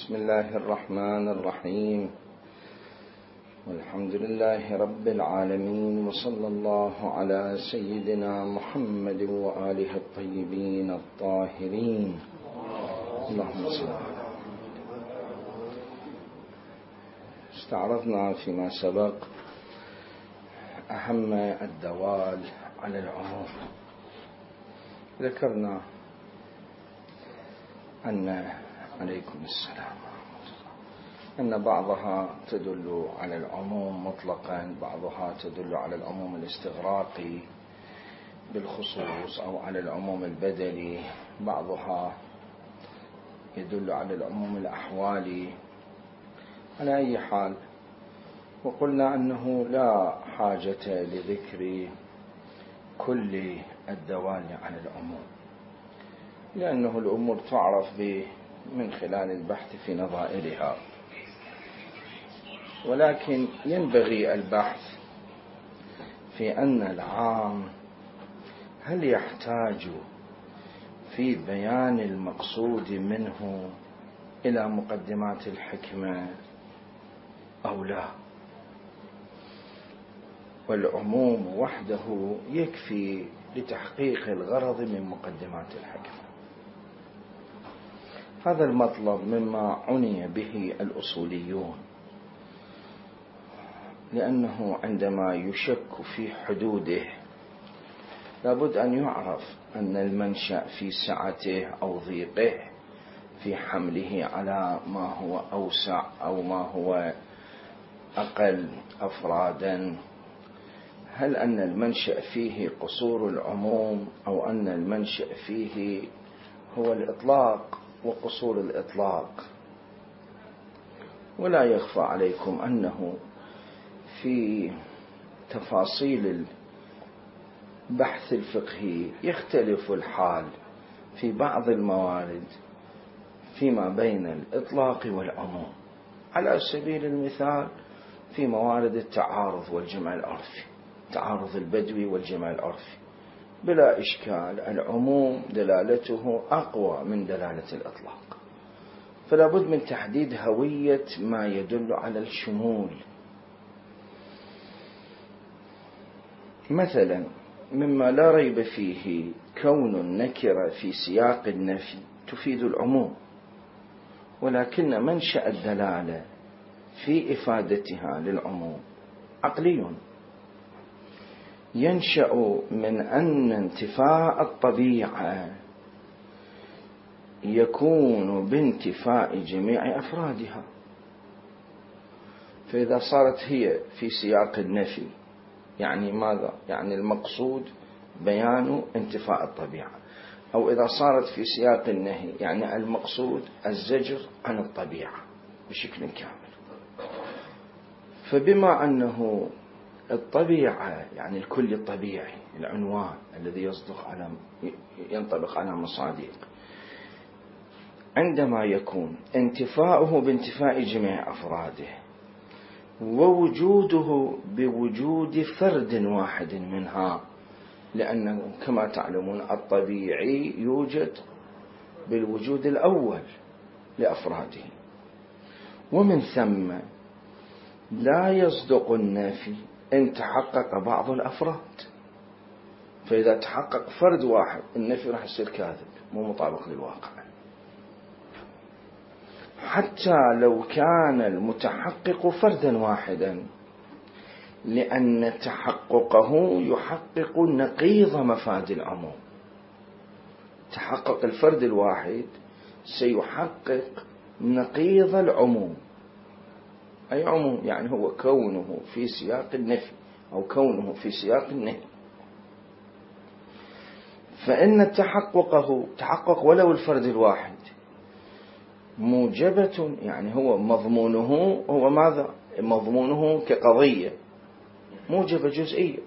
بسم الله الرحمن الرحيم، والحمد لله رب العالمين، وصلى الله على سيدنا محمد وآله الطيبين الطاهرين. اللهم صل على محمد. استعرضنا فيما سبق أهم الدوال على العموم. ذكرنا أن عليكم السلام أن بعضها تدل على العموم مطلقا، بعضها تدل على العموم الاستغراقي بالخصوص أو على العموم البدلي، بعضها يدل على العموم الأحوالي. على أي حال، وقلنا أنه لا حاجة لذكر كل الدوال على العموم، لأنه الأمور تعرف من خلال البحث في نظائرها، ولكن ينبغي البحث في أن العام هل يحتاج في بيان المقصود منه إلى مقدمات الحكمة أو لا، والعموم وحده يكفي لتحقيق الغرض من مقدمات الحكمة. هذا المطلب مما عني به الأصوليون، لأنه عندما يشك في حدوده لابد أن يعرف أن المنشأ في سعته أو ضيقه، في حمله على ما هو أوسع أو ما هو أقل أفرادا. هل أن المنشأ فيه قصور العموم، أو أن المنشأ فيه هو الإطلاق وقصور الإطلاق؟ ولا يخفى عليكم أنه في تفاصيل البحث الفقهي يختلف الحال في بعض الموارد فيما بين الإطلاق والعموم. على سبيل المثال في موارد التعارض والجمع العرفي، تعارض البدوي والجمع العرفي، بلا إشكال العموم دلالته أقوى من دلالة الإطلاق، فلا بد من تحديد هوية ما يدل على الشمول. مثلا مما لا ريب فيه كون النكرة في سياق النفي تفيد العموم، ولكن منشأ الدلالة في إفادتها للعموم عقلي، ينشأ من أن انتفاء الطبيعة يكون بانتفاء جميع أفرادها. فإذا صارت هي في سياق النفي يعني ماذا؟ يعني المقصود بيان انتفاء الطبيعة، أو إذا صارت في سياق النهي يعني المقصود الزجر عن الطبيعة بشكل كامل. فبما أنه الطبيعة يعني الكل الطبيعي، العنوان الذي ينطبق على مصادق، عندما يكون انتفاؤه بانتفاء جميع أفراده ووجوده بوجود فرد واحد منها، لأنه كما تعلمون الطبيعي يوجد بالوجود الأول لأفراده، ومن ثم لا يصدق النفي إن تحقق بعض الأفراد. فإذا تحقق فرد واحد النفي راح يصير كاذب، مو مطابق للواقع، حتى لو كان المتحقق فردا واحدا، لأن تحققه يحقق نقيض مفاد العموم. تحقق الفرد الواحد سيحقق نقيض العموم. أي عموم؟ يعني هو كونه في سياق النفي أو كونه في سياق النهي. فإن تحققه تحقق ولو الفرد الواحد موجبة، يعني هو مضمونه هو ماذا؟ مضمونه كقضية موجبة جزئية،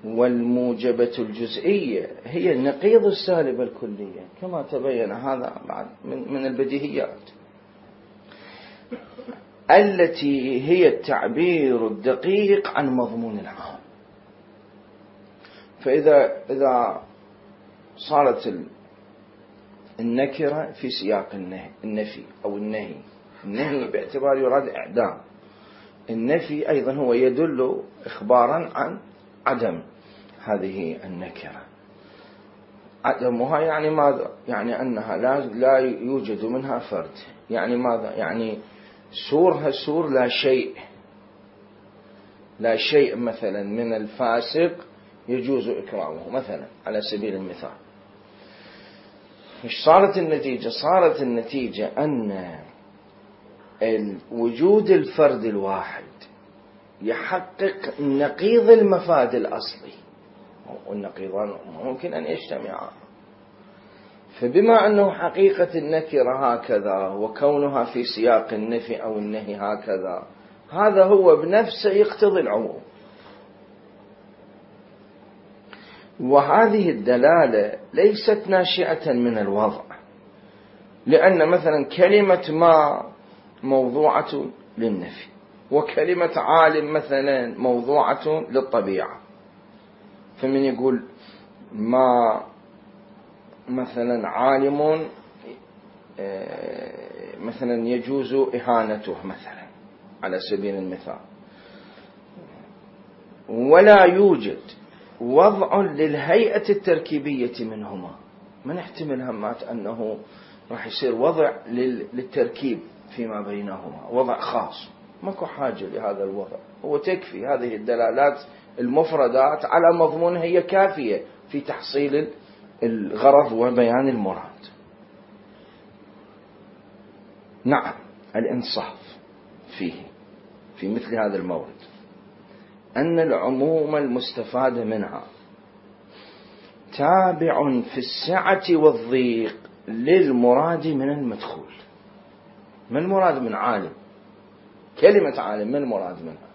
والموجبة الجزئية هي النقيض السالب الكلية، كما تبين هذا بعد من البديهيات، التي هي التعبير الدقيق عن مضمون العام. فإذا صارت النكرة في سياق النفي أو النهي. النهي باعتبار يراد إعدام، النفي أيضا هو يدل إخبارا عن عدم هذه النكرة. عدمها يعني ماذا؟ يعني أنها لا يوجد منها فرد. يعني ماذا؟ يعني سورها سور لا شيء مثلا من الفاسق يجوز إكرامه مثلا على سبيل المثال. مش صارت النتيجة؟ صارت النتيجة أن وجود الفرد الواحد يحقق نقيض المفاد الأصلي، والنقيضان ممكن أن يجتمعا. فبما أنه حقيقة النكرة هكذا وكونها في سياق النفي أو النهي هكذا، هذا هو بنفسه يقتضي العموم. وهذه الدلالة ليست ناشئة من الوضع، لأن مثلا كلمة ما موضوعة للنفي، وكلمة عالم مثلا موضوعة للطبيعة. فمن يقول ما مثلا عالم مثلا يجوز إهانته مثلا على سبيل المثال، ولا يوجد وضع للهيئة التركيبية منهما. ما نحتمل همات أنه راح يصير وضع للتركيب فيما بينهما، وضع خاص، ماكو حاجة لهذا الوضع. هو تكفي هذه الدلالات المفردات على مضمونها، هي كافية في تحصيل الغرض وبيان المراد. نعم، الإنصاف في مثل هذا المورد أن العموم المستفاد منها تابع في السعة والضيق للمراد من المدخول. ما المراد من عالم؟ كلمة عالم ما المراد منها؟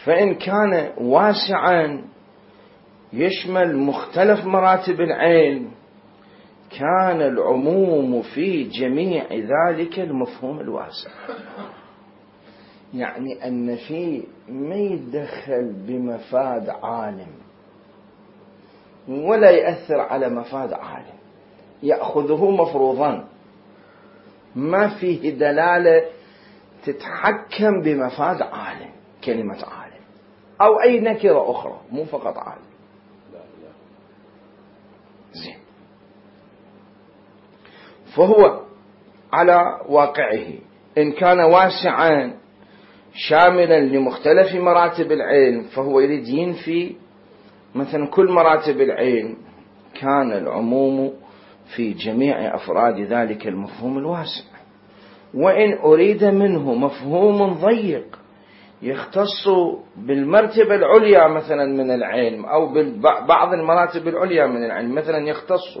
فإن كان واسعا يشمل مختلف مراتب العلم، كان العموم في جميع ذلك المفهوم الواسع. يعني النفي ما يتدخل بمفاد عالم ولا يأثر على مفاد عالم، يأخذه مفروضا، ما فيه دلالة تتحكم بمفاد عالم، كلمة عالم أو أي نكرة أخرى، مو فقط عالم. زين. فهو على واقعه إن كان واسعا شاملا لمختلف مراتب العلم، فهو يريد ينفي مثلا كل مراتب العلم، كان العموم في جميع أفراد ذلك المفهوم الواسع. وإن أريد منه مفهوم ضيق يختص بالمرتبة العليا مثلا من العلم أو ببعض المراتب العليا من العلم، مثلا يختص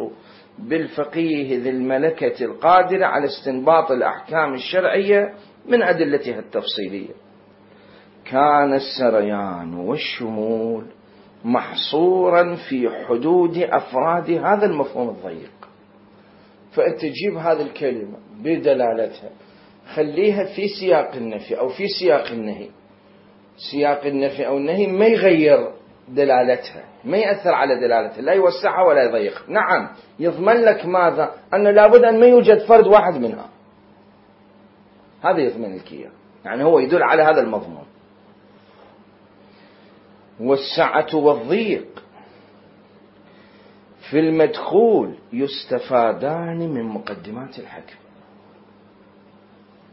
بالفقيه ذي الملكة القادرة على استنباط الأحكام الشرعية من أدلتها التفصيلية، كان السريان والشمول محصورا في حدود أفراد هذا المفهوم الضيق. فأنت تجيب هذه الكلمة بدلالتها، خليها في سياق النفي أو في سياق النهي. سياق النفي أو النهي ما يغير دلالتها، ما يأثر على دلالتها، لا يوسعها ولا يضيقها. نعم، يضمن لك ماذا؟ أن لابد أن ما يوجد فرد واحد منها، هذا يضمن لك إياه، يعني هو يدل على هذا المضمون. والسعة والضيق في المدخول يستفادان من مقدمات الحكم.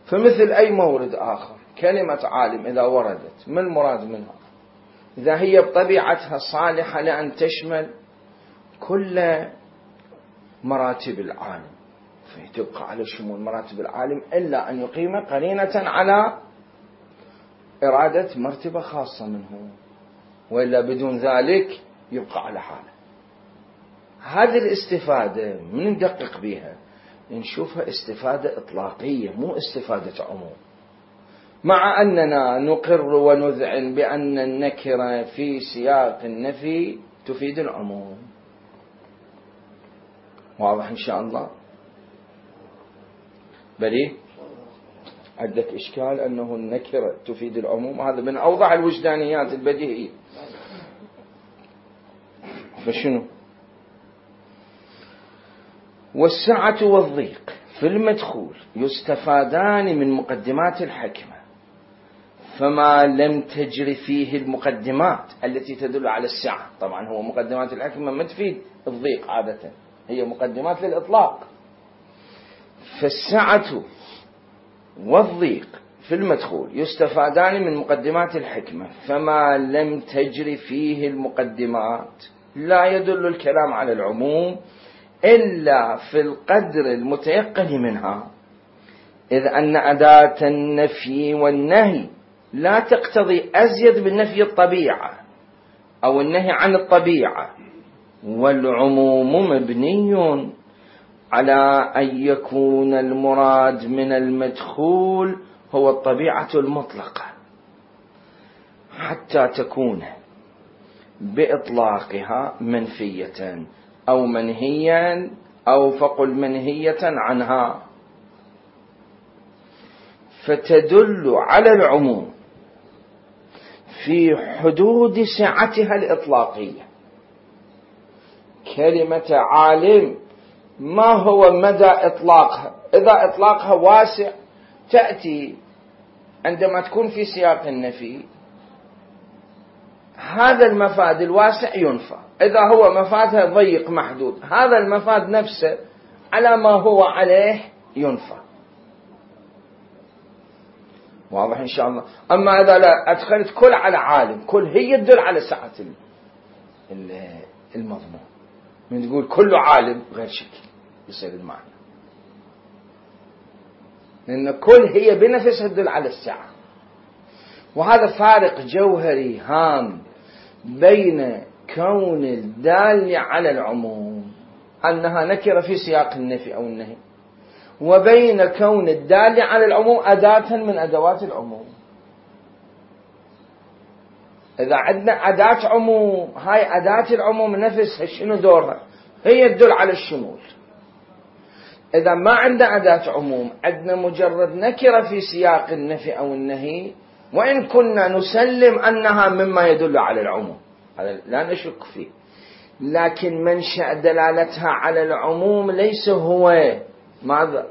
فمثل أي مورد آخر، كلمة عالم إذا وردت، ما المراد منها؟ إذا هي بطبيعتها صالحة لأن تشمل كل مراتب العالم، فتبقى على شمول مراتب العالم، إلا أن يقيم قرينة على إرادة مرتبة خاصة منه، وإلا بدون ذلك يبقى على حاله. هذه الاستفادة من ندقق بها نشوفها استفادة إطلاقية، مو استفادة عموم، مع أننا نقر ونذعن بأن النكرة في سياق النفي تفيد العموم. واضح إن شاء الله؟ بلي عندك إشكال أنه النكرة تفيد العموم؟ هذا من أوضح الوجدانيات البديهية. فشنو؟ والسعة والضيق في المدخول يستفادان من مقدمات الحكمة، فما لم تجري فيه المقدمات التي تدل على السعة. طبعا هو مقدمات الحكمة ما تفيد الضيق عادة، هي مقدمات للإطلاق. فالسعة والضيق في المدخول يستفادان من مقدمات الحكمة، فما لم تجري فيه المقدمات لا يدل الكلام على العموم إلا في القدر المتيقن منها، إذ أن أداة النفي والنهي لا تقتضي أزيد من نفي الطبيعة أو النهي عن الطبيعة، والعموم مبني على أن يكون المراد من المدخول هو الطبيعة المطلقة، حتى تكون بإطلاقها منفية أو منهيا أو فقل منهية عنها، فتدل على العموم في حدود سعتها الإطلاقية. كلمة عالم ما هو مدى إطلاقها؟ إذا إطلاقها واسع تأتي عندما تكون في سياق النفي، هذا المفاد الواسع ينفى. إذا هو مفادها ضيق محدود، هذا المفاد نفسه على ما هو عليه ينفى. واضح إن شاء الله. أما إذا لا أدخلت كل على عالم، كل هي تدل على سعة المضمون. من تقول كله عالم غير شكل يصير المعنى، لأن كل هي بنفسها تدل على السعة. وهذا فارق جوهري هام بين كون الدال على العموم أنها نكرة في سياق النفي أو النهي، وبين كون الدال على العموم أداة من أدوات العموم. إذا عندنا أداة عموم، هاي أداة العموم نفسها شنو دورها؟ هي تدل على الشمول. إذا ما عندنا أداة عموم، عندنا مجرد نكرة في سياق النفي أو النهي، وإن كنا نسلم أنها مما يدل على العموم، هذا لا نشك فيه، لكن منشأ دلالتها على العموم ليس هو ماذا؟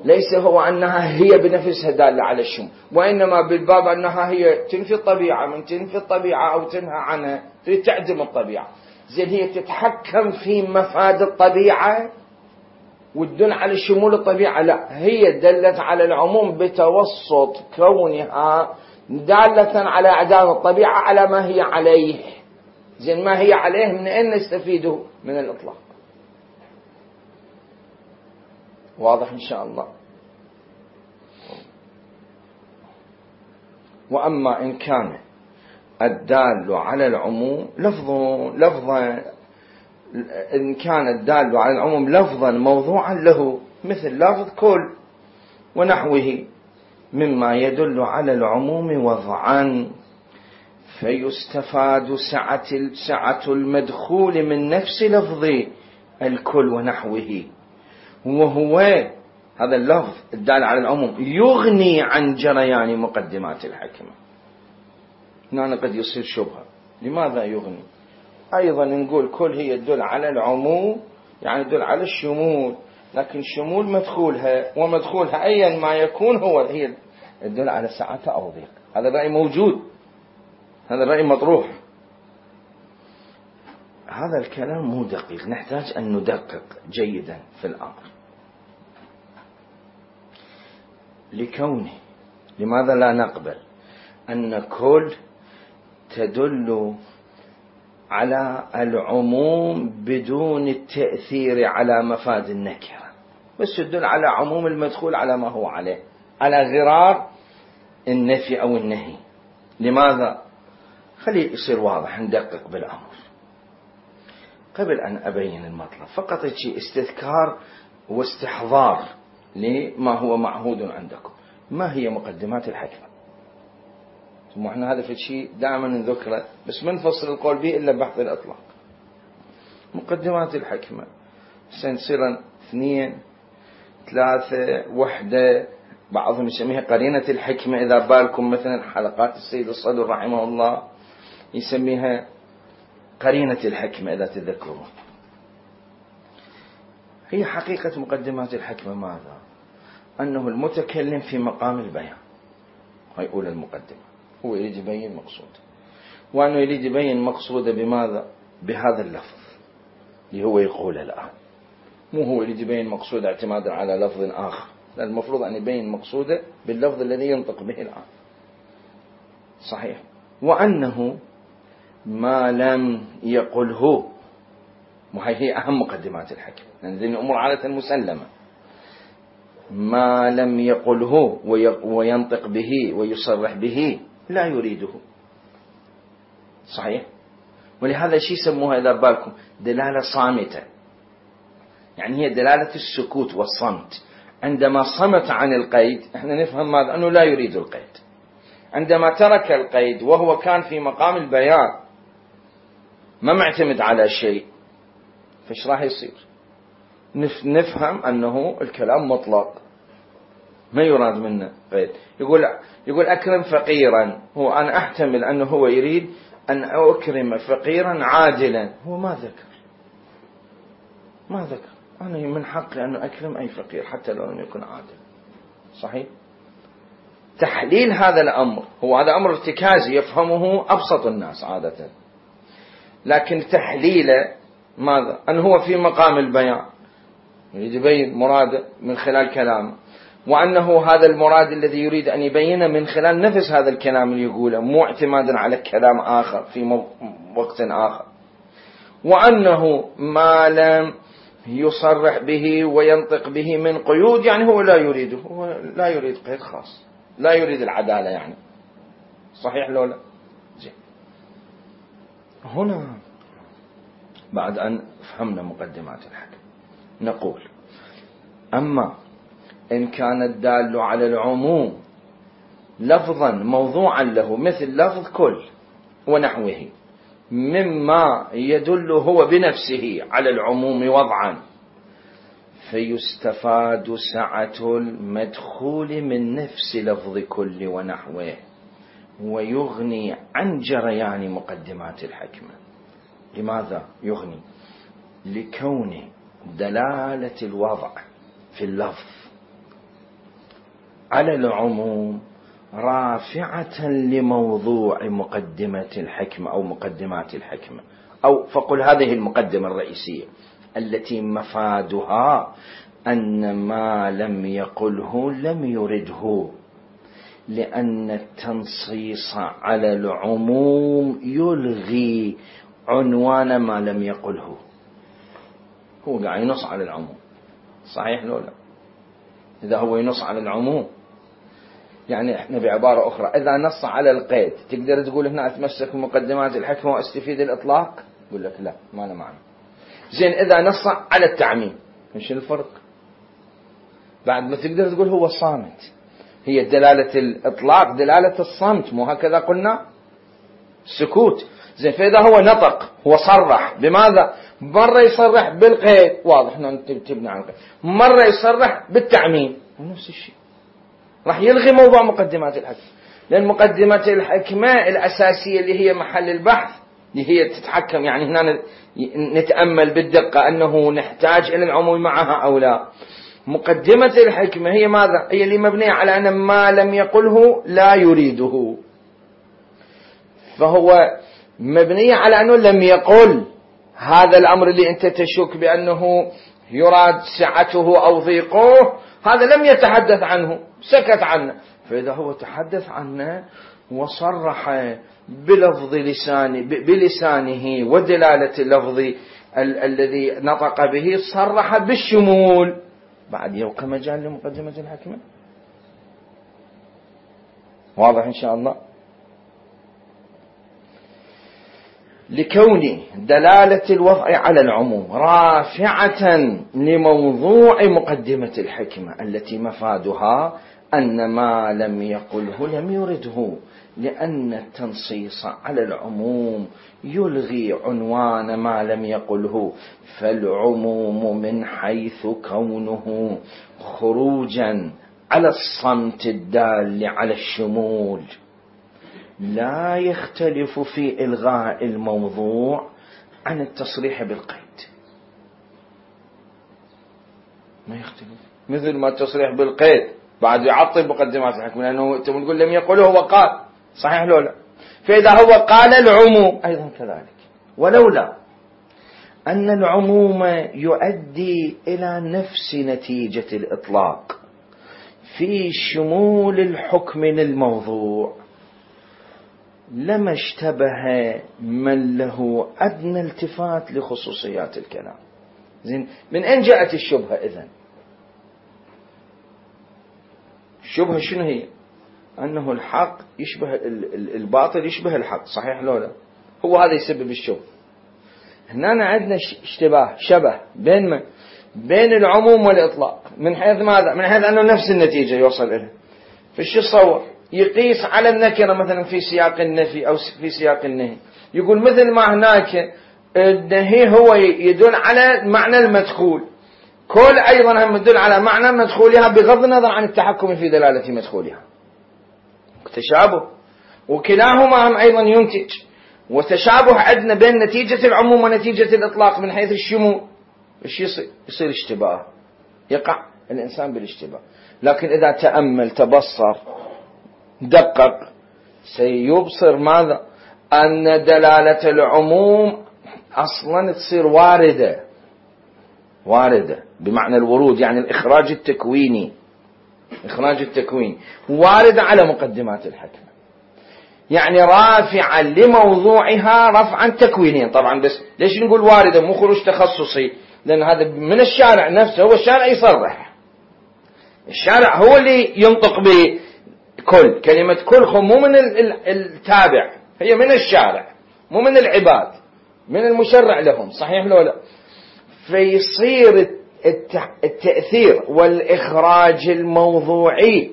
ليس هو أنها هي بنفسها دالة على الشمول، وإنما بالباب أنها هي تنفي الطبيعة. من تنفي الطبيعة أو تنهى عنها تريد تعدم الطبيعة. زين هي تتحكم في مفاد الطبيعة وتدل على شمول الطبيعة؟ لا، هي دلت على العموم بتوسط كونها دالة على أعدام الطبيعة على ما هي عليه. زين ما هي عليه من أين نستفيده؟ من الإطلاق. واضح إن شاء الله. وأما إن كان الدال على العموم لفظا إن كان الدال على العموم لفظا موضوعا له، مثل لفظ كل ونحوه مما يدل على العموم وضعا، فيستفاد سعة المدخول من نفس لفظ الكل ونحوه، وهو هذا اللفظ الدال على العموم يغني عن جريان مقدمات الحكمة. هنا قد يصير شبهة، لماذا يغني؟ أيضا نقول كل هي تدل على العموم، يعني تدل على الشمول، لكن شمول مدخولها ومدخولها أيا ما يكون هي تدل على سعة أو ضيق. هذا الرأي موجود، هذا الرأي مطروح. هذا الكلام مو دقيق، نحتاج أن ندقق جيدا في الأمر. لكونه لماذا لا نقبل أن كل تدل على العموم بدون التأثير على مفاد النكرة، بس تدل على عموم المدخول على ما هو عليه، على غرار النفي أو النهي؟ لماذا؟ خليه يصير واضح، ندقق بالأمر. قبل أن أبين المطلب فقط شيء استذكار واستحضار لما هو معهود عندكم. ما هي مقدمات الحكمة؟ ثم احنا هذا في الشيء دائما نذكره، بس ما نفصل القول به إلا بحث الإطلاق. مقدمات الحكمة سنصير 2 3 1، بعضهم يسميها قرينة الحكمة. إذا بالكم مثلا حلقات السيد الصدر رحمه الله يسميها قرينة الحكمة إذا تذكرون. هي حقيقة مقدمات الحكمة ماذا؟ أنه المتكلم في مقام البيان، هاي أولى المقدمة، هو يريد يبين مقصوده، وأنه يريد يبين مقصوده بماذا؟ بهذا اللفظ اللي هو يقوله الآن، مو هو يريد يبين مقصوده اعتمادا على لفظ آخر، لا، المفروض أن يبين مقصوده باللفظ الذي ينطق به الآن. صحيح. وأنه ما لم يقله، وهي أهم مقدمات الحكم، لأن يعني الأمور عادة مسلمة، ما لم يقله وينطق به ويصرح به لا يريده. صحيح. ولهذا شيء يسموها إذا بالكم دلالة صامتة، يعني هي دلالة السكوت والصمت. عندما صمت عن القيد احنا نفهم ماذا؟ أنه لا يريد القيد. عندما ترك القيد وهو كان في مقام البيان ما معتمد على شيء، فايش راح يصير؟ نفهم أنه الكلام مطلق، ما يراد منه قيد. يقول أكرم فقيرا، هو أنا أحتمل أنه هو يريد أن أكرم فقيرا عادلا، هو ما ذكر أنا من حقي أن أكرم أي فقير حتى لو لم يكن عادل. صحيح. تحليل هذا الأمر، هو هذا أمر ارتكازي يفهمه أبسط الناس عادة، لكن تحليله ماذا؟ أنه هو في مقام البيان يريد يبين مراده من خلال كلامه، وأنه هذا المراد الذي يريد أن يبينه من خلال نفس هذا الكلام اللي يقوله، مو اعتمادا على كلام آخر في وقت آخر. وأنه ما لم يصرح به وينطق به من قيود، يعني هو لا يريده، هو لا يريد قيد خاص، لا يريد العدالة يعني. صحيح لو لا؟ زين. هنا بعد أن فهمنا مقدمات الحكم نقول: أما إن كان الدال على العموم لفظا موضوعا له مثل لفظ كل ونحوه مما يدل هو بنفسه على العموم وضعا، فيستفاد سعة المدخول من نفس لفظ كل ونحوه، ويغني عن جريان مقدمات الحكمة. لماذا يغني؟ لكون دلالة الوضع في اللفظ على العموم رافعة لموضوع مقدمة الحكمة أو مقدمات الحكمة، أو فقل هذه المقدمة الرئيسية التي مفادها أن ما لم يقله لم يرده، لأن التنصيص على العموم يلغي عنوان ما لم يقله. هو قاعد ينص على العموم، صحيح لو لا؟ إذا هو ينص على العموم، يعني احنا بعبارة أخرى إذا نص على القيد تقدر تقول هنا أتمسك بمقدمات الحكمة وأستفيد الإطلاق؟ يقول لك لا، ما له معنى. زين، إذا نص على التعميم ايش الفرق؟ بعد ما تقدر تقول هو صامت، هي دلالة الإطلاق دلالة الصمت، مو هكذا قلنا؟ سكوت. زين، فإذا هو نطق، هو صرح بماذا؟ مرة يصرح بالقيد، واضح أنه تبني عن القيد، مرة يصرح بالتعميم، نفس الشيء. راح يلغي موضوع مقدمات الحكمة، لأن مقدمات الحكمة الأساسية اللي هي محل البحث اللي هي تتحكم، يعني هنا نتأمل بالدقة أنه نحتاج إلى العموم معها أو لا. مقدمة الحكمة هي ماذا؟ هي اللي مبنية على أن ما لم يقله لا يريده، فهو مبنية على أنه لم يقل هذا الأمر اللي أنت تشك بأنه يراد سعته أو ضيقه، هذا لم يتحدث عنه، سكت عنه. فإذا هو تحدث عنه وصرح بلسانه ودلالة اللفظ الذي نطق به، صرح بالشمول، بعد يبقى مجال لمقدمة الحكمة. واضح إن شاء الله؟ لكون دلالة الوضع على العموم رافعة لموضوع مقدمة الحكمة التي مفادها أن ما لم يقله لم يرده، لأن التنصيص على العموم يلغي عنوان ما لم يقله، فالعموم من حيث كونه خروجا على الصمت الدال على الشمول لا يختلف في إلغاء الموضوع عن التصريح بالقيد. ما يختلف، مثل ما التصريح بالقيد بعد يعطل مقدمات الحكم، لأنه أنت تقول لم يقل هو قال، صحيح لو لا؟ فإذا هو قال العموم أيضا كذلك، ولولا أن العموم يؤدي إلى نفس نتيجة الإطلاق في شمول الحكم للموضوع لما اشتبه من له أدنى التفات لخصوصيات الكلام. زين، من أين جاءت الشبهة إذن؟ الشبهة شنو هي؟ أنه الحق يشبه الباطل يشبه الحق، صحيح لو لا؟ هو هذا يسبب الشبهة. هنا عندنا اشتباه، شبه بين العموم والإطلاق. من حيث ماذا؟ من حيث أنه نفس النتيجة يوصل إليه. فشو تصور؟ يقيس على النكرة مثلا في سياق النفي أو في سياق النهي، يقول مثل ما هناك النهي هو يدل على معنى المدخول، كل أيضا هم يدل على معنى مدخولها بغض النظر عن التحكم في دلالة مدخولها. تشابه، وكلاهما هم أيضا ينتج، وتشابه عندنا بين نتيجة العموم ونتيجة الإطلاق من حيث الشمول. إيش يصير اشتباه، يقع الإنسان بالاشتباه. لكن إذا تأمل تبصر دقق سيبصر ماذا؟ أن دلالة العموم أصلا تصير واردة بمعنى الورود، يعني الإخراج التكويني، واردة على مقدمات الحكم، يعني رافعا لموضوعها رفعا تكوينيا. طبعا بس ليش نقول واردة مو خروج تخصصي؟ لأن هذا من الشارع نفسه، هو الشارع يصرح، الشارع هو اللي ينطق بكل كلمة كل، مو من التابع، هي من الشارع مو من العباد، من المشرع لهم، صحيح لو لا؟ فيصير التأثير والإخراج الموضوعي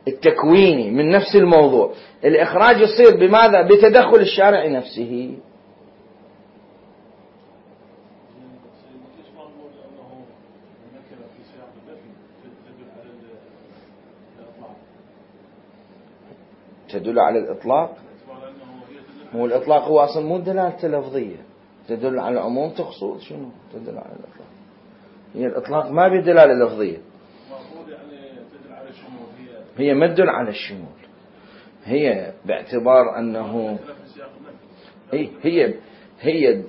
التكويني من نفس الموضوع، الإخراج يصير بماذا؟ بتدخل الشارع نفسه. تدل على الإطلاق، هو الإطلاق هو أصلا مو دلالة لفظية، تدل على العموم تقصد شنو؟ تدل على الإطلاق، هي الإطلاق ما بدلالة لفظية، هي ما تدل على الشمول، هي باعتبار أنه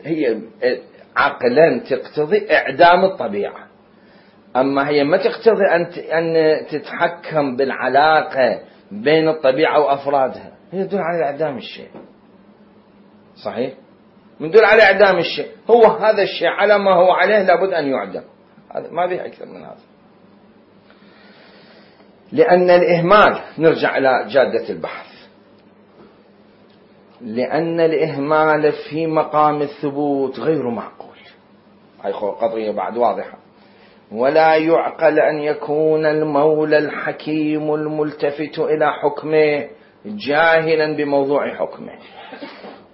هي عقلا تقتضي إعدام الطبيعة، أما هي ما تقتضي أن تتحكم بالعلاقة بين الطبيعة وأفرادها، هي تدل على إعدام الشيء، صحيح؟ من دل على إعدام الشيء، هو هذا الشيء على ما هو عليه لابد أن يعدم، هذا ما به أكثر من هذا. لأن الإهمال، نرجع إلى جادة البحث، لأن الإهمال في مقام الثبوت غير معقول، هاي قضية بعد واضحة. ولا يعقل أن يكون المولى الحكيم الملتفت إلى حكمه جاهلا بموضوع حكمه،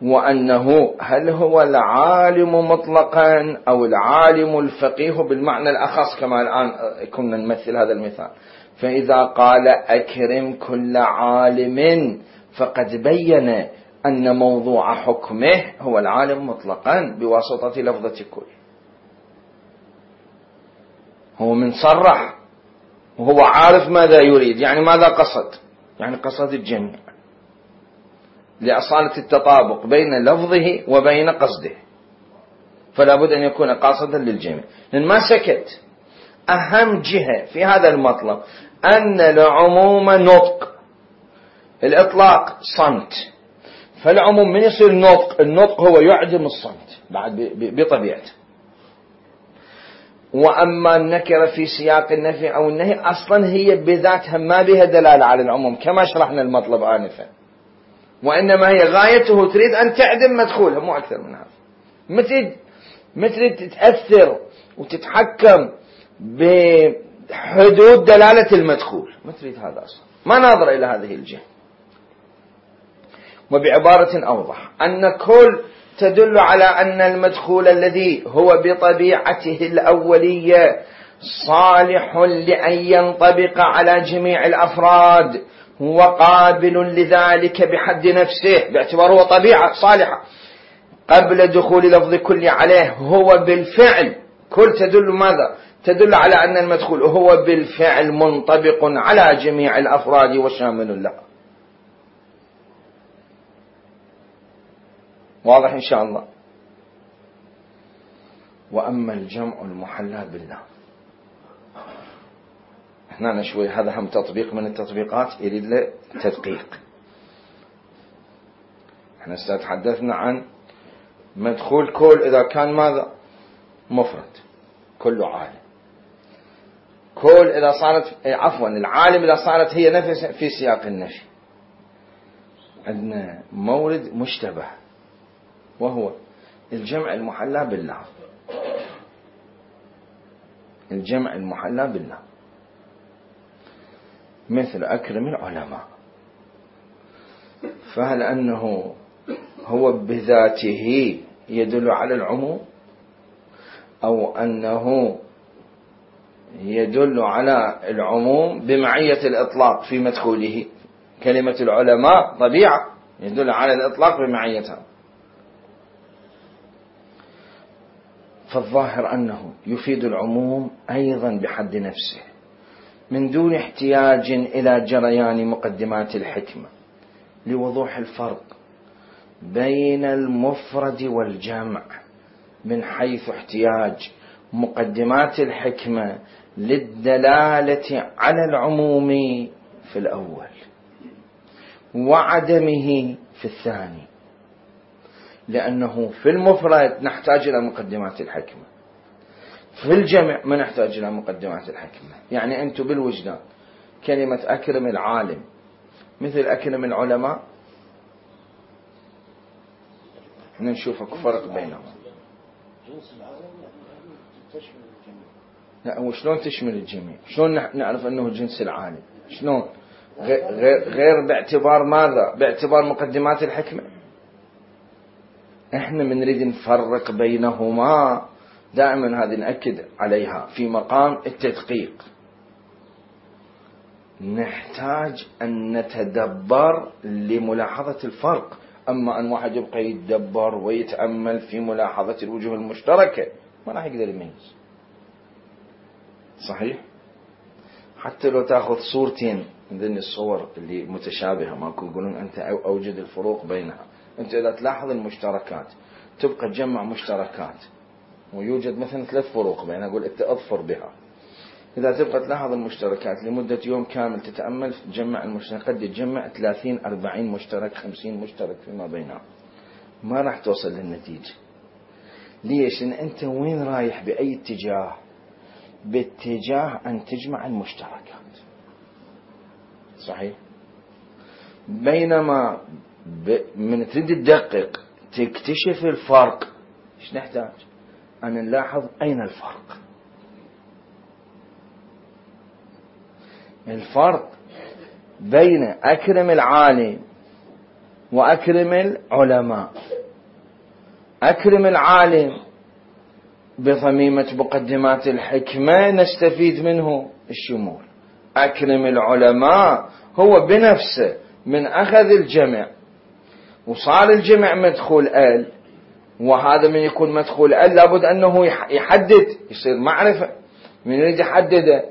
وأنه هل هو العالم مطلقا أو العالم الفقيه بالمعنى الأخص، كما الآن كنا نمثل هذا المثال. فإذا قال أكرم كل عالم فقد بين أن موضوع حكمه هو العالم مطلقا بواسطة لفظة كل، هو من صرح وهو عارف ماذا يريد، يعني ماذا قصد، يعني قصد الجميع لأصالة التطابق بين لفظه وبين قصده، فلا بد أن يكون قاصدا للجميع. لأن ما سكت، أهم جهة في هذا المطلب أن العموم نطق، الإطلاق صمت، فالعموم من يصير نطق، النطق هو يعدم الصمت بعد بطبيعته. وأما النكرة في سياق النفي أو النهي أصلا هي بذاتها ما بها دلالة على العموم كما شرحنا المطلب آنفا، وإنما هي غايته تريد أن تعدم مدخولها، مو أكثر من هذا. مثل تتأثر وتتحكم بحدود دلالة المدخول، ما تريد هذا أصلا، ما ناظر إلى هذه الجهة. وبعبارة أوضح أن كل تدل على أن المدخول الذي هو بطبيعته الأولية صالح لأن ينطبق على جميع الأفراد، هو قابل لذلك بحد نفسه باعتباره هو طبيعة صالحة قبل دخول لفظ كل عليه، هو بالفعل كل تدل ماذا؟ تدل على أن المدخول هو بالفعل منطبق على جميع الأفراد وشامل له. واضح إن شاء الله. وأما الجمع المحلى بالله، هنا شوي هذا هم تطبيق من التطبيقات يريد له تدقيق. احنا تحدثنا عن مدخول كل إذا كان ماذا؟ مفرد، كل عالم. كل إذا صارت العالم إذا صارت هي نفس في سياق النفي. عندنا مورد مشتبه وهو الجمع المحلى بالله. الجمع المحلى بالله مثل أكرم العلماء، فهل أنه هو بذاته يدل على العموم أو أنه يدل على العموم بمعية الإطلاق في مدخوله؟ كلمة العلماء طبيعة يدل على الإطلاق بمعيتها. فالظاهر أنه يفيد العموم أيضا بحد نفسه من دون احتياج إلى جريان مقدمات الحكمة، لوضوح الفرق بين المفرد والجمع، من حيث احتياج مقدمات الحكمة للدلالة على العموم في الأول وعدمه في الثاني. لأنه في المفرد نحتاج إلى مقدمات الحكمة، في الجمع ما نحتاج إلى مقدمات الحكمة. يعني أنتم بالوجدان كلمة أكرم العالم مثل أكرم العلماء، احنا نشوف فرق بينهم. لا، وشلون تشمل الجميع؟ شلون نعرف أنه جنس العالم؟ شلون؟ غير باعتبار ماذا؟ باعتبار مقدمات الحكمة. احنا من نريد نفرق بينهما دائما، هذه نأكد عليها في مقام التدقيق. نحتاج أن نتدبر لملاحظة الفرق. أما أن واحد يبقى يتدبر ويتأمل في ملاحظة الوجوه المشتركة ما راح يقدر يميز. صحيح؟ حتى لو تأخذ صورتين من ذن الصور اللي متشابهة ماكو يقولون أنت أوجد الفروق بينها. أنت إذا تلاحظ المشتركات تبقى تجمع مشتركات ويوجد مثلا 3 فروق بينها، أقول أنت أظفر بها. إذا تبقى تلاحظ المشتركات لمدة يوم كامل تتأمل تجمع المشتركات، قد تجمع 30-40 مشترك 50 مشترك فيما بينها، ما راح توصل للنتيجة. ليش؟ لأن أنت وين رايح بأي اتجاه؟ باتجاه أن تجمع المشتركات. صحيح؟ بينما من تريد تدقق تكتشف الفرق، ايش نحتاج؟ أن نلاحظ أين الفرق. الفرق بين أكرم العالم وأكرم العلماء. أكرم العالم بضميمة مقدمات الحكمة نستفيد منه الشمول. أكرم العلماء هو بنفسه من أخذ الجمع وصار الجمع مدخول ال، وهذا من يكون مدخول ال لابد أنه يحدد، يصير معرفة. من يريد يحدده؟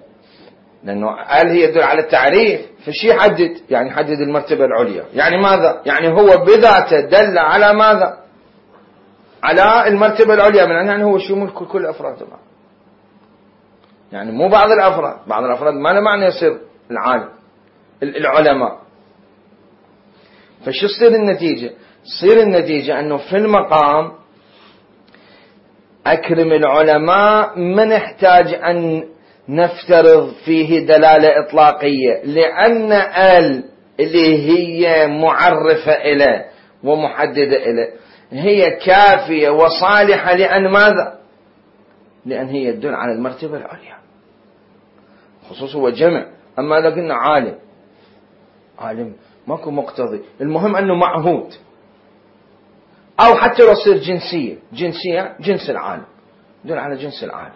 لأنه ال هي يدل على التعريف، فشي يحدد؟ يعني يحدد المرتبة العليا. يعني ماذا؟ يعني هو بذاته دل على ماذا؟ على المرتبة العليا، من يعني هو شمول كل أفراد. يعني مو بعض الأفراد، بعض الأفراد ما له معنى يصير العالم العلماء. فشو تصير النتيجة؟ تصير النتيجة أنه في المقام أكرم العلماء ما نحتاج أن نفترض فيه دلالة إطلاقية، لأن اللي هي معرفة إليه ومحددة إليه هي كافية وصالحة. لأن ماذا؟ لأن هي يدل على المرتبة العليا، خصوص هو جمع. أما إذا قلنا عالم ماكو مقتضي، المهم أنه معهود. أو حتى لو يصير جنسية جنس العالم، يدل على جنس العالم.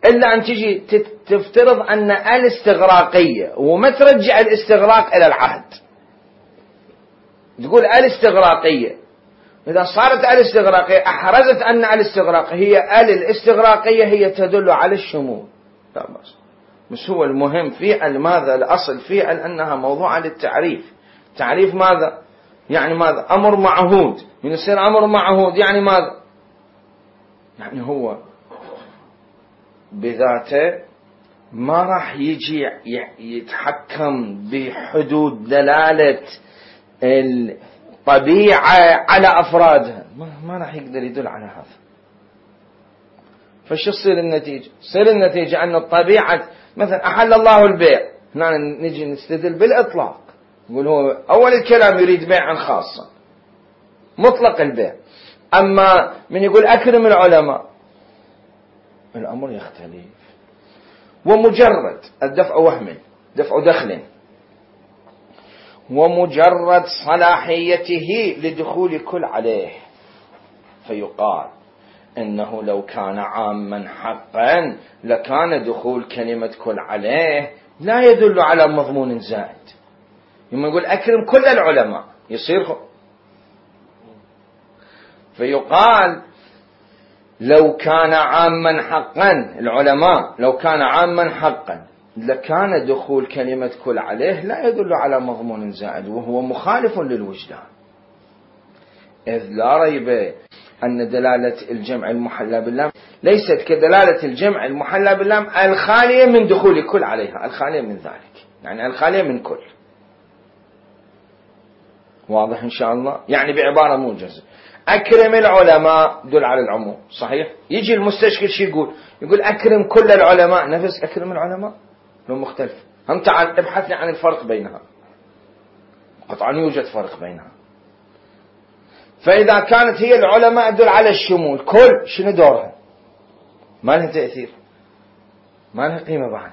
إلا أن تجي تفترض أن الاستغراقية وما ترجع الاستغراق إلى العهد، تقول الاستغراقية إذا صارت الاستغراقية أحرزت أن الاستغراق هي الاستغراقية هي تدل على الشمول، لا بس هو المهم في ماذا الأصل في أنها موضوع للتعريف. تعريف ماذا؟ يعني ماذا؟ أمر معهود. من يصير أمر معهود يعني ماذا؟ يعني هو بذاته ما راح يجي يتحكم بحدود دلالة الطبيعة على أفرادها، ما راح يقدر يدل على هذا. فش تصير النتيجة؟ تصير النتيجة أن الطبيعة مثلا أحل الله البيع، هنا نجي نستدل بالإطلاق، نقول هو أول الكلام يريد بيعا خاصا مطلق البيع. أما من يقول أكرم العلماء الأمر يختلف، ومجرد الدفع وهم دفع دخل ومجرد صلاحيته لدخول كل عليه، فيقال إنه لو كان عاما حقا لكان دخول كلمة كل عليه لا يدل على مضمون زائد. يوم يقول أكرم كل العلماء يصير فيقال لو كان عاما حقا العلماء لو كان عاما حقا لكان دخول كلمة كل عليه لا يدل على مضمون زائد، وهو مخالف للوجدان، إذ لا ريب أن دلالة الجمع المحلى باللام ليست كدلالة الجمع المحلى باللام الخالية من دخول كل عليها، الخالية من ذلك، يعني الخالية من كل. واضح إن شاء الله؟ يعني بعبارة موجزة أكرم العلماء دل على العموم، صحيح؟ يجي المستشكل شو يقول أكرم كل العلماء، نفس أكرم العلماء لو مختلف. هم تعال ابحث لي عن الفرق بينها، قطعا يوجد فرق بينها. فإذا كانت هي العلماء تدل على الشمول، كل شنو دورها؟ ما لها تأثير، ما لها قيمة بعد،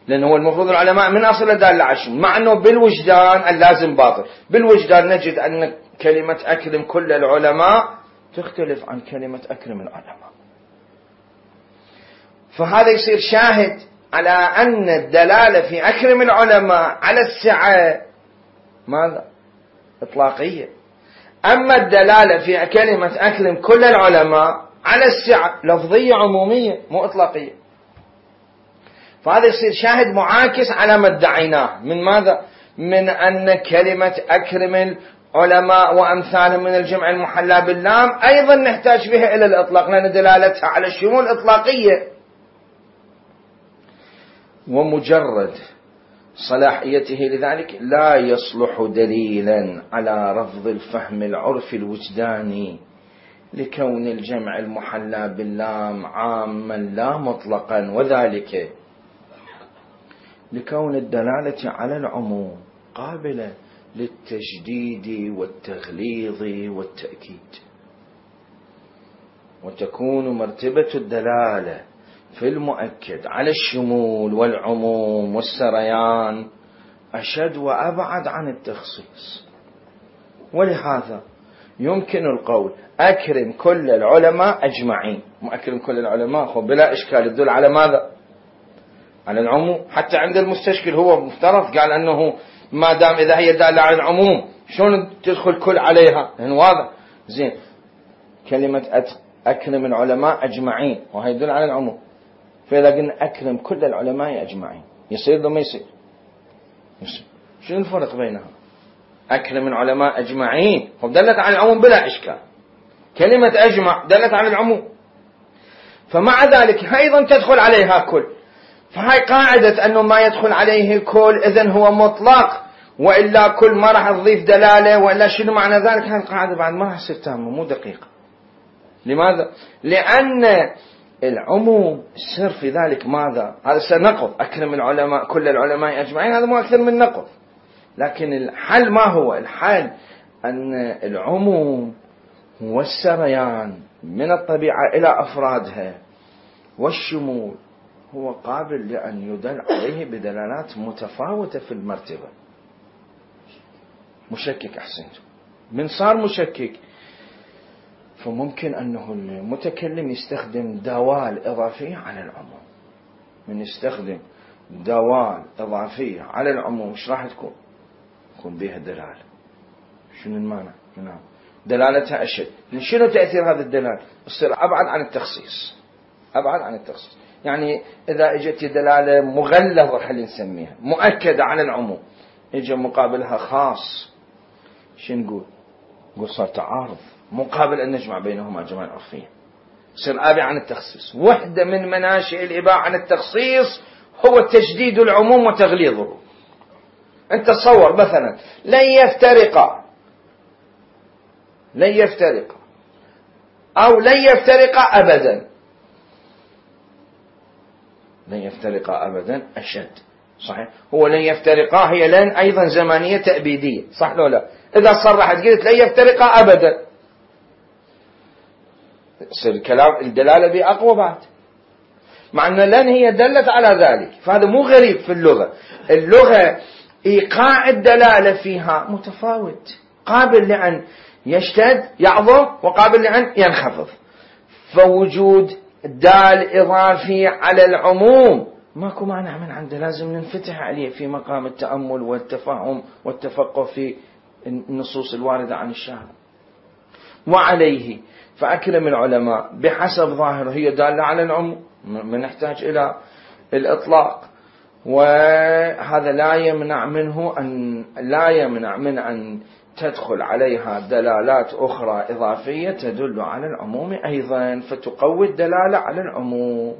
لأنه هو المفروض العلماء من أصل دال على الشمول، مع أنه بالوجدان اللازم باطل. بالوجدان نجد أن كلمة أكرم كل العلماء تختلف عن كلمة أكرم العلماء، فهذا يصير شاهد على أن الدلالة في أكرم العلماء على السعة ماذا؟ إطلاقية. أما الدلالة في كلمة أكرم كل العلماء على السعة لفظية عمومية مو إطلاقية. فهذا يصير شاهد معاكس على ما ادعيناه من ماذا؟ من أن كلمة أكرم العلماء وأمثالهم من الجمع المحلى باللام أيضا نحتاج بها إلى الإطلاق، لأن دلالتها على الشمول إطلاقية. ومجرد صلاحيته لذلك لا يصلح دليلا على رفض الفهم العرفي الوجداني، لكون الجمع المحلى باللام عاما لا مطلقا، وذلك لكون الدلالة على العموم قابلة للتجديد والتغليظ والتأكيد، وتكون مرتبة الدلالة في المؤكد على الشمول والعموم والسريان أشد وأبعد عن التخصيص. ولهذا يمكن القول أكرم كل العلماء أجمعين، أكرم كل العلماء بلا إشكال يدل على ماذا؟ على العموم. حتى عند المستشكل هو مفترض قال أنه ما دام إذا هي دالة على العموم شلون تدخل كل عليها؟ لأنه واضح زين كلمة أكرم العلماء أجمعين وهي يدل على العموم، فإذا قلنا أكرم كل العلماء أجمعين يصير لو ما يصير؟ شنو الفرق بينها؟ أكرم العلماء أجمعين دلت على العموم بلا إشكال، كلمة أجمع دلت على العموم، فمع ذلك أيضا تدخل عليها كل. فهاي قاعدة أنه ما يدخل عليه الكل إذن هو مطلق، وإلا كل ما راح تضيف دلالة، وإلا شنو معنى ذلك؟ هاي القاعدة بعد ما راح تصير تامة مو دقيقة. لماذا؟ لأن العموم السر في ذلك ماذا؟ هذا سنقض أكرم العلماء كل العلماء أجمعين، هذا مو أكثر من نقض. لكن الحل ما هو؟ الحل أن العموم هو السريان من الطبيعة إلى أفرادها، والشمول هو قابل لأن يدل عليه بدلالات متفاوتة في المرتبة. مشكك أحسنت، من صار مشكك فممكن أنه المتكلم يستخدم دوال إضافية على العموم. من يستخدم دوال إضافية على العموم إيش راح تكون؟ تكون بها دلالة. شنو المعنى؟ نعم دلالتها أشد. شنو تأثير هذا الدلالة؟ يصير أبعد عن التخصيص، أبعد عن التخصيص. يعني إذا اجت دلالة مغلظة خلينا نسميها مؤكدة على العموم، اجى مقابلها خاص، شو نقول؟ نقول صار تعارض، مقابل أن نجمع بينهما جماعة عرفية، يصير آبع عن التخصيص. واحدة من مناشئ الإباحة عن التخصيص هو تشديد العموم وتغليظه. أنت تصور مثلا لن يفترق أو لن يفترق أبدا، لن يفترق أبدا أشد، صحيح؟ هو لن يفترقا هي لن أيضا زمانية تأبيدية، صح لو لا؟ إذا صرحت قلت لن يفترقا أبدا، يصير الكلام الدلالة به أقوى بعد، مع أن لن هي دلت على ذلك. فهذا مو غريب في اللغة. اللغة إيقاع الدلالة فيها متفاوت، قابل لأن يشتد يعظم وقابل لأن ينخفض. فوجود دال إضافي على العموم ماكو مانع من عنده، لازم ننفتح عليه في مقام التأمل والتفهم والتفقه في النصوص الواردة عن الشارع. وعليه فأكرم العلماء بحسب ظاهره هي دالة على العموم، ما نحتاج إلى الإطلاق. وهذا لا يمنع من أن تدخل عليها دلالات أخرى إضافية تدل على العموم أيضا، فتقوي الدلالة على العموم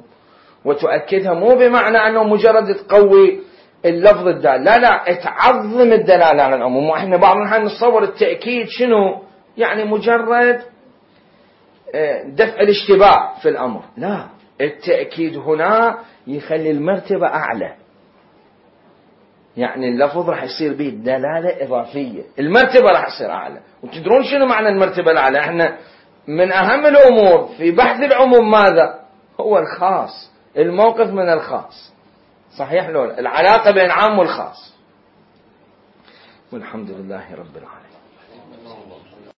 وتؤكدها، مو بمعنى أنه مجرد تقوي اللفظ الدال، لا تعظم الدلالة على العموم. وإحنا بعض الأحيان نتصور التأكيد شنو؟ يعني مجرد دفع الاشتباه في الأمر، لا، التأكيد هنا يخلي المرتبة أعلى، يعني اللفظ راح يصير به دلالة إضافية، المرتبة راح يصير أعلى. وتدرون شنو معنى المرتبة الأعلى؟ احنا من أهم الأمور في بحث العموم ماذا؟ هو الخاص، الموقف من الخاص، صحيح لولا؟ العلاقة بين العام والخاص. والحمد لله رب العالمين.